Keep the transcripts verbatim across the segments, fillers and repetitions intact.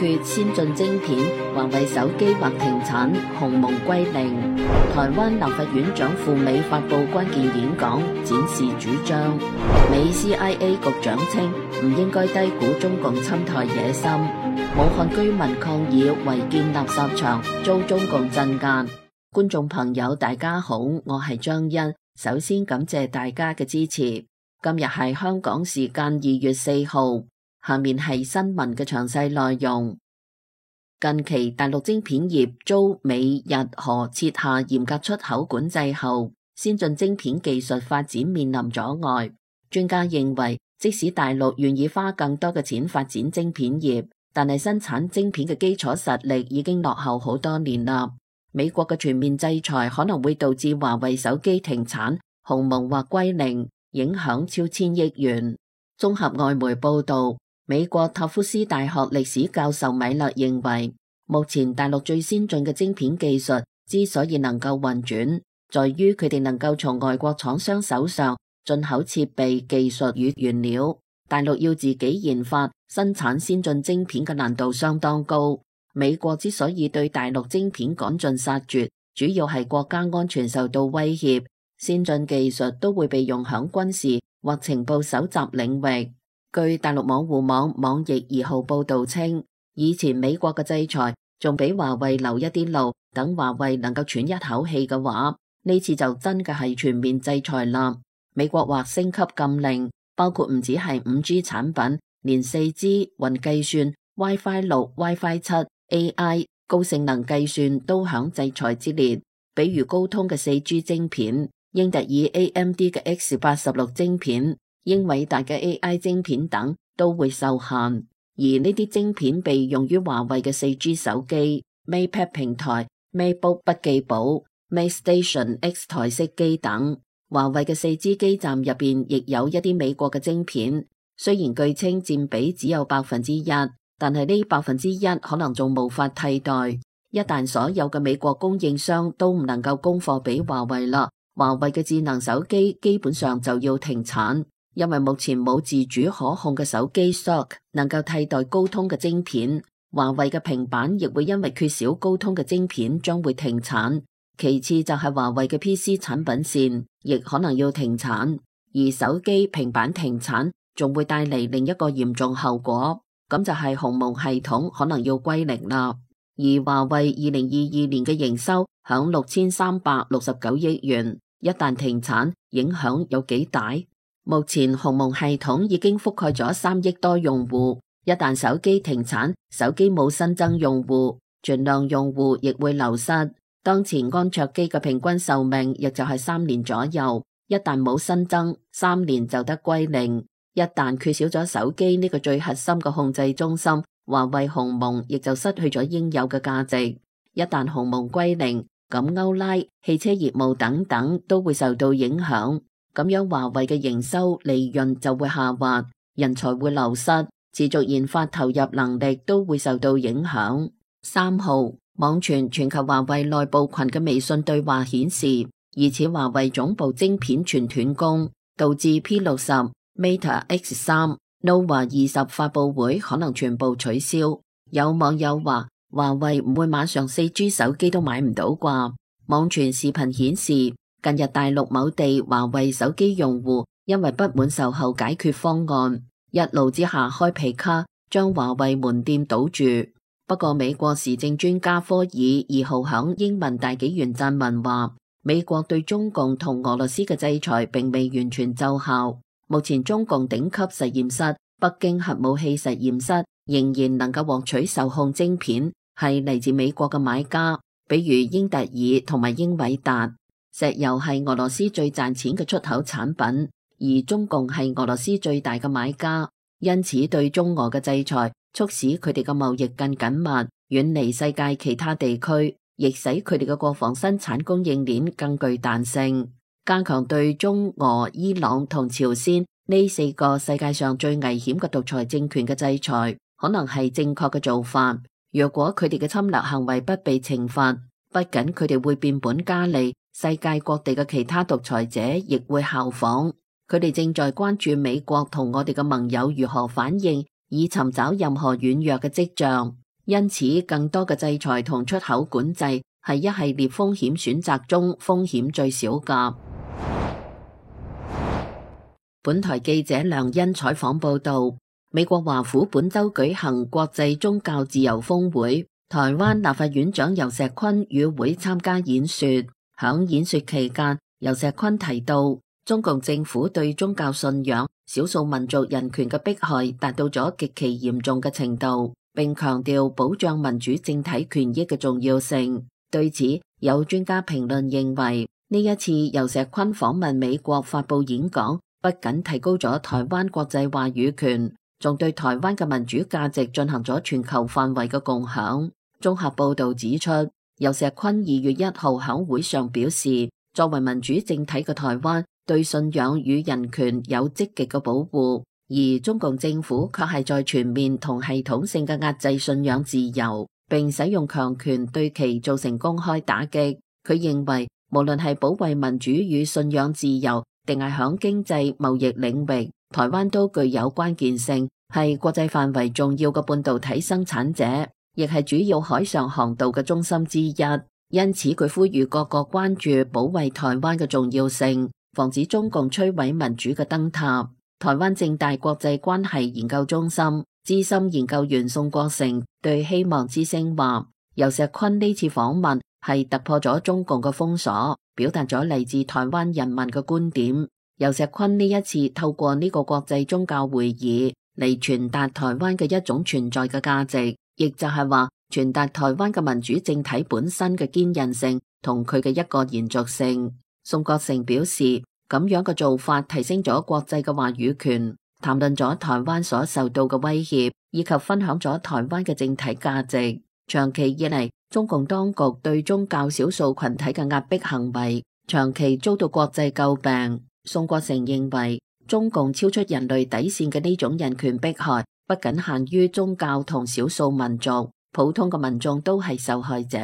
缺先進晶片，華為手機或停產，鴻蒙歸零。台灣立法院長赴美發布關鍵演講，展示主張。美 C I A 局長稱唔應該低估中共侵台野心。武漢居民抗議違建垃圾場遭中共鎮壓。觀眾朋友大家好，我係張欣，首先感謝大家嘅支持。今日係香港時間二月四號，下面係新聞嘅詳細內容。近期大陸晶片業遭美日韓設下嚴格出口管制後，先進晶片技術發展面臨阻礙。專家認為，即使大陸願意花更多嘅錢發展晶片業，但係生產晶片嘅基礎實力已經落後好多年啦。美國嘅全面制裁可能會導致華為手機停產、鴻蒙或歸零，影響超千億元。綜合外媒報道，美國塔夫斯大學歷史教授米勒認為，目前大陸最先進嘅晶片技術之所以能夠運轉，在於佢哋能夠從外國廠商手上進口設備、技術與原料。大陸要自己研發生產先進晶片嘅難度相當高。美國之所以對大陸晶片趕盡殺絕，主要係國家安全受到威脅，先進技術都會被用響軍事或情報搜集領域。據大陸網戶網網易二號報道稱，以前美國嘅制裁仲俾華為留一啲路，等華為能夠喘一口氣嘅話，呢次就真嘅係全面制裁啦。美國或升級禁令，包括唔止係五 G 產品，連四 G、雲計算、WiFi 六、WiFi 七、A I、高性能計算都響制裁之列。比如高通嘅四 G 晶片、英特爾 A M D 嘅 X 八十六 晶片、英偉達嘅 A I 晶片等都會受限。而呢啲晶片被用於華為嘅四 G 手機、MatePad 平台、MateBook 筆記簿、MateStation X 台式機等。華為嘅四 G 基站入邊亦有一啲美國嘅晶片，雖然據稱佔比只有百分之一，但係呢百分之一可能仲無法替代。一旦所有嘅美國供應商都唔能夠供貨俾華為啦，華為嘅智能手機基本上就要停產，因為目前冇自主可控嘅手機 S O C 能夠替代高通嘅晶片。華為嘅平板亦會因為缺少高通嘅晶片將會停產。其次就係華為嘅 P C 產品線亦可能要停產，而手機、平板停產仲會帶嚟另一個嚴重後果，咁就係鴻蒙系統可能要歸零啦。而華為二零二二年嘅營收響六千三百六十九億元，一旦停產，影響有幾大？目前鴻蒙系統已經覆蓋咗三億多用戶，一旦手機停產，手機冇新增用戶，存量用戶亦會流失。當前安卓機嘅平均壽命亦就係三年左右，一旦冇新增，三年就得歸零。一旦缺少咗手機呢個最核心嘅控制中心，華為鴻蒙亦就失去咗應有嘅價值。一旦鴻蒙歸零，咁歐拉、汽車業務等等都會受到影響，咁樣華為嘅營收利潤就會下滑，人才會流失，持續研發投入能力都會受到影響。三號網傳全球華為內部群嘅微信對話顯示，疑似華為總部晶片全斷供，導致 P 六十、Mate X 三、Nova 二十發佈會可能全部取消。有網友話，華為唔會馬上四 G 手機都買唔到啩？網傳視頻顯示，近日大陸某地華為手機用戶因為不滿售後解決方案，一怒之下開皮卡將華為門店堵住。不過美國時政專家科爾二號響英文大紀元撰文話，美國對中共同俄羅斯嘅制裁並未完全奏效。目前中共頂級實驗室北京核武器實驗室仍然能夠獲取受控晶片，係嚟自美國嘅買家，比如英特爾同埋英偉達。石油係俄羅斯最賺錢嘅出口產品，而中共係俄羅斯最大嘅買家，因此對中俄嘅制裁促使佢哋嘅貿易更緊密，遠離世界其他地區，亦使佢哋嘅國防生產供應鏈更具彈性。加強對中俄、伊朗同朝鮮呢四個世界上最危險嘅獨裁政權嘅制裁，可能係正確嘅做法。若果佢哋嘅侵略行為不被懲罰，不僅佢哋會變本加厲，世界各地嘅其他獨裁者亦會效仿。佢哋正在關注美國同我哋嘅盟友如何反應，以尋找任何軟弱嘅跡象。因此更多嘅制裁同出口管制係一系列風險選擇中風險最少嘅。本台記者梁欣採訪報道，美國華府本周舉行國際宗教自由峰會，台灣立法院長游錫堃與會參加演說。響演說期間，游錫堃提到，中共政府對宗教信仰、少數民族人權嘅迫害達到咗極其嚴重嘅程度，並強調保障民主政體權益嘅重要性。對此，有專家評論認為，呢一次游錫堃訪問美國發布演講，不僅提高咗台灣國際話語權，仲對台灣嘅民主價值進行咗全球範圍嘅共享。綜合報道指出，游錫堃二月一號響會上表示，作為民主政體嘅台灣對信仰與人權有積極嘅保護，而中共政府卻係在全面同系統性嘅壓制信仰自由，並使用強權對其造成公開打擊。佢認為，無論係保衛民主與信仰自由，定係響經濟貿易領域，台灣都具有關鍵性，係國際範圍重要嘅半導體生產者，亦係主要海上航道嘅中心之一。因此，佢呼籲各國關注保衛台灣嘅重要性，防止中共摧毀民主嘅燈塔。台灣政大國際關係研究中心資深研究員宋國成對希望之聲話，游錫堃呢次訪問係突破咗中共嘅封鎖，表達咗嚟自台灣人民嘅觀點。游錫堃呢一次透過呢個國際宗教會議嚟傳達台灣嘅一種存在嘅價值，亦就係話傳達台灣嘅民主政體本身嘅堅韌性同佢嘅一個延續性。宋國成表示，咁樣嘅做法提升咗國際嘅話語權，談論咗台灣所受到嘅威脅，以及分享咗台灣嘅政體價值。長期以嚟，中共當局對宗教少數群體嘅壓迫行為長期遭到國際詬病。宋國成認為，中共超出人類底線嘅呢種人權迫害不僅限於宗教同少數民族，普通嘅民眾都係受害者。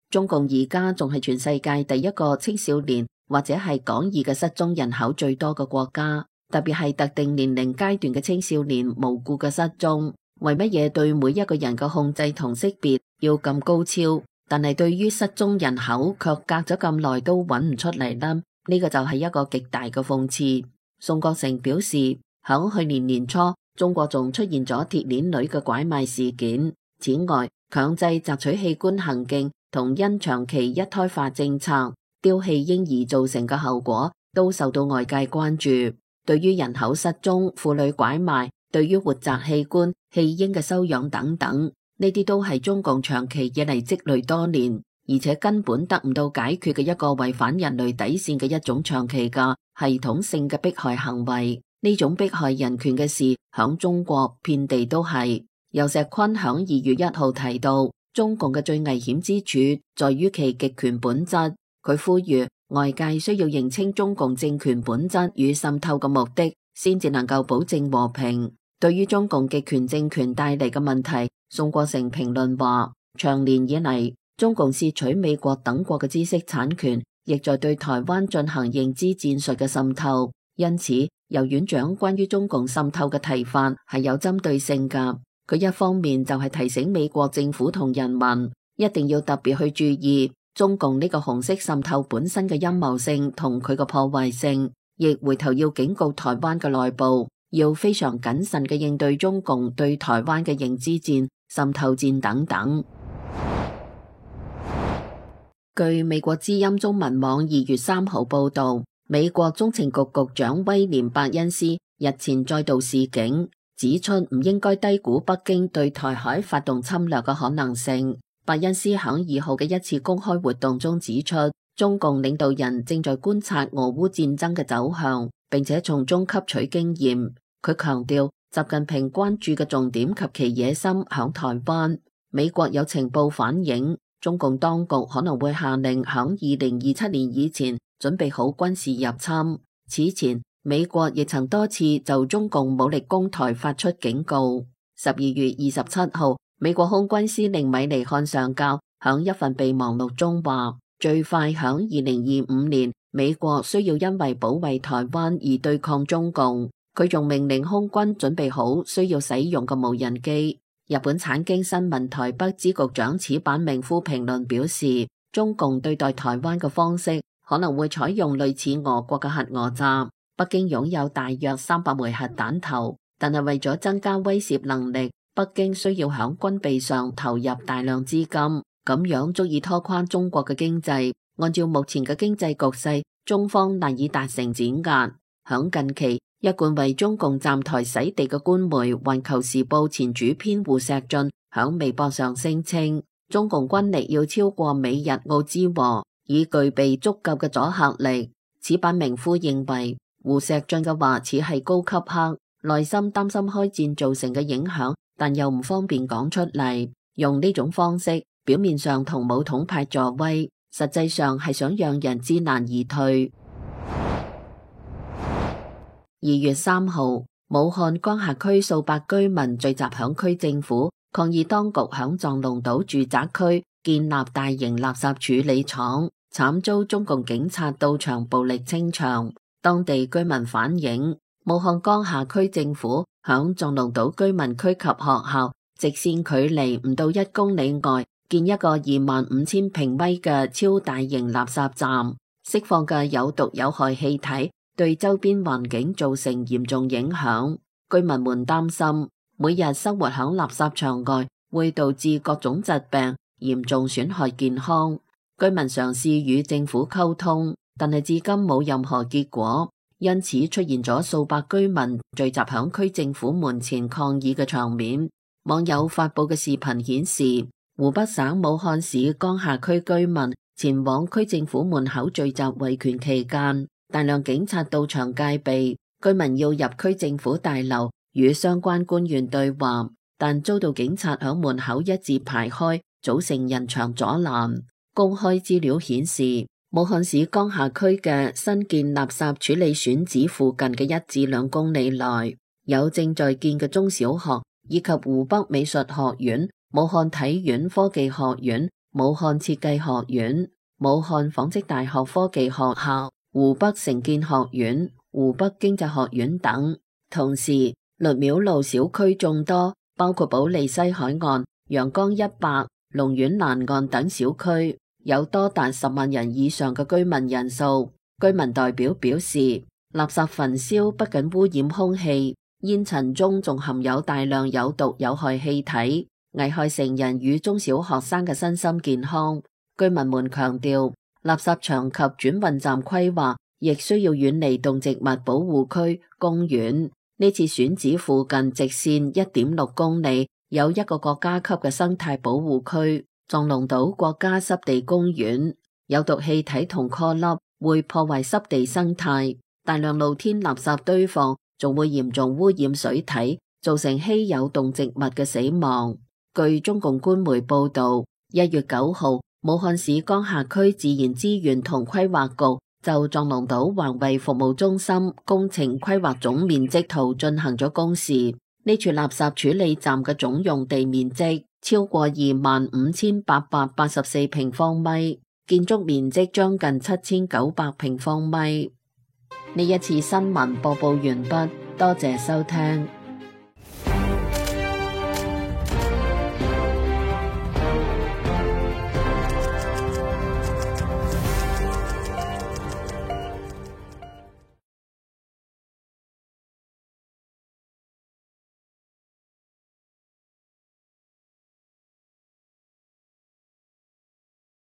中共而家仲係全世界第一個青少年或者係廣義嘅失蹤人口最多嘅國家，特別係特定年齡階段嘅青少年無故嘅失蹤。為乜嘢對每一個人嘅控制同識別要咁高超，但係對於失蹤人口卻隔咗咁耐都揾唔出嚟呢？呢個就係一個極大嘅諷刺。宋國成表示，響去年年初，中國仲出現咗鐵鏈女嘅拐賣事件。此外，強制摘取器官行徑同因長期一胎化政策丟棄嬰兒造成嘅後果都受到外界關注。對於人口失蹤、婦女拐賣、對於活摘器官、棄嬰嘅收養等等，呢啲都係中共長期以嚟積累多年，而且根本得唔到解決嘅一個違反人類底線嘅一種長期嘅系統性嘅迫害行為。呢種迫害人權嘅事響中國遍地都係。游錫堃響二月一號提到，中共嘅最危險之處在於其極權本質。佢呼籲外界需要認清中共政權本質與滲透嘅目的，先至能夠保證和平。對於中共極權政權帶嚟嘅問題，宋國成評論話，長年以嚟，中共竊取美國等國嘅知識產權，亦在對台灣進行認知戰術嘅滲透。因此，游院長關於中共滲透嘅提法係有針對性㗎。佢一方面就係提醒美國政府同人民，一定要特別去注意中共呢個紅色滲透本身嘅陰謀性同佢嘅破壞性，亦回頭要警告台灣嘅內部，要非常謹慎嘅應對中共對台灣嘅認知戰、滲透戰等等。據美國之音中文網二月三號報道，美國中情局局長威廉伯恩斯日前再度示警，指出唔應該低估北京對台海發動侵略嘅可能性。伯恩斯響二號嘅一次公開活動中指出，中共領導人正在觀察俄烏戰爭嘅走向，並且從中吸取經驗。佢強調，習近平關注嘅重點及其野心響台灣。美國有情報反映，中共當局可能會下令響二零二七年以前準備好軍事入侵。此前，美國亦曾多次就中共武力攻台發出警告。十二月二十七號，美國空軍司令米尼漢上校響一份備忘錄中話，最快響二零二五年，美國需要因為保衛台灣而對抗中共。佢仲命令空軍準備好需要使用嘅無人機。日本產經新聞台北支局長矢板明夫評論表示，中共對待台灣嘅方式可能會採用類似俄國嘅核訛詐。北京擁有大約三百枚核彈頭，但係為咗增加威懾能力，北京需要響軍備上投入大量資金，咁樣足以拖垮中國嘅經濟。按照目前嘅經濟局勢，中方難以達成碾壓。響近期，一貫為中共站台洗地嘅官媒《環球時報》前主編胡錫進響微博上聲稱，中共軍力要超過美日澳之和，以具備足夠嘅阻嚇力。矢板明夫認為，胡錫進嘅話似係高級黑，內心擔心開戰造成嘅影響，但又唔方便講出嚟。用呢種方式，表面上同武統派助威，實際上係想讓人知難而退。二月三號，武漢江夏區數百居民聚集響區政府，抗議當局響藏龍島住宅區建立大型垃圾處理廠，慘遭中共警察到場暴力清場。當地居民反映，武漢江夏區政府響藏龍島居民區及學校直線距離唔到一公里外建一個二萬五千平米嘅超大型垃圾站，釋放嘅有毒有害氣體對周邊環境造成嚴重影響。居民們擔心，每日生活響垃圾場外會導致各種疾病，嚴重損害健康。居民嘗試與政府溝通，但係至今冇任何結果，因此出現咗數百居民聚集響區政府門前抗議嘅場面。網友發布嘅視頻顯示，湖北省武漢市江夏區居民前往區政府門口聚集維權期間，大量警察到場戒備，居民要入區政府大樓與相關官員對話，但遭到警察響門口一字排開，組成人牆阻攔。公開資料顯示，武漢市江夏區嘅新建垃圾處理選址附近嘅一至兩公里內，有正在建嘅中小學，以及湖北美術學院、武漢體院科技學院、武漢設計學院、武漢紡織大學科技學校、湖北城建學院、湖北經濟學院等。同時，律廟路小區眾多，包括保利西海岸、陽江一百、龍苑南岸等小區，有多達十萬人以上嘅居民人數。居民代表表示，垃圾焚燒不僅污染空氣，煙塵中仲含有大量有毒有害氣體，危害成人與中小學生嘅身心健康。居民們強調，垃圾場及轉運站規劃亦需要遠離動植物保護區、公園。呢次選址附近直線一點六公里，有一個國家級嘅生態保護區——藏龍島國家濕地公園。有毒氣體同顆粒會破壞濕地生態，大量露天垃圾堆放仲會嚴重污染水體，造成稀有動植物嘅死亡。據中共官媒報道，一月九號，武漢市江夏區自然資源同規劃局就藏龍島環衛服務中心工程規劃總面積圖進行咗公示。呢處垃圾處理站嘅總用地面積超過二萬五千八百八十四平方米，建築面積將近七千九百平方米。呢一次新聞播報完畢，多謝收聽。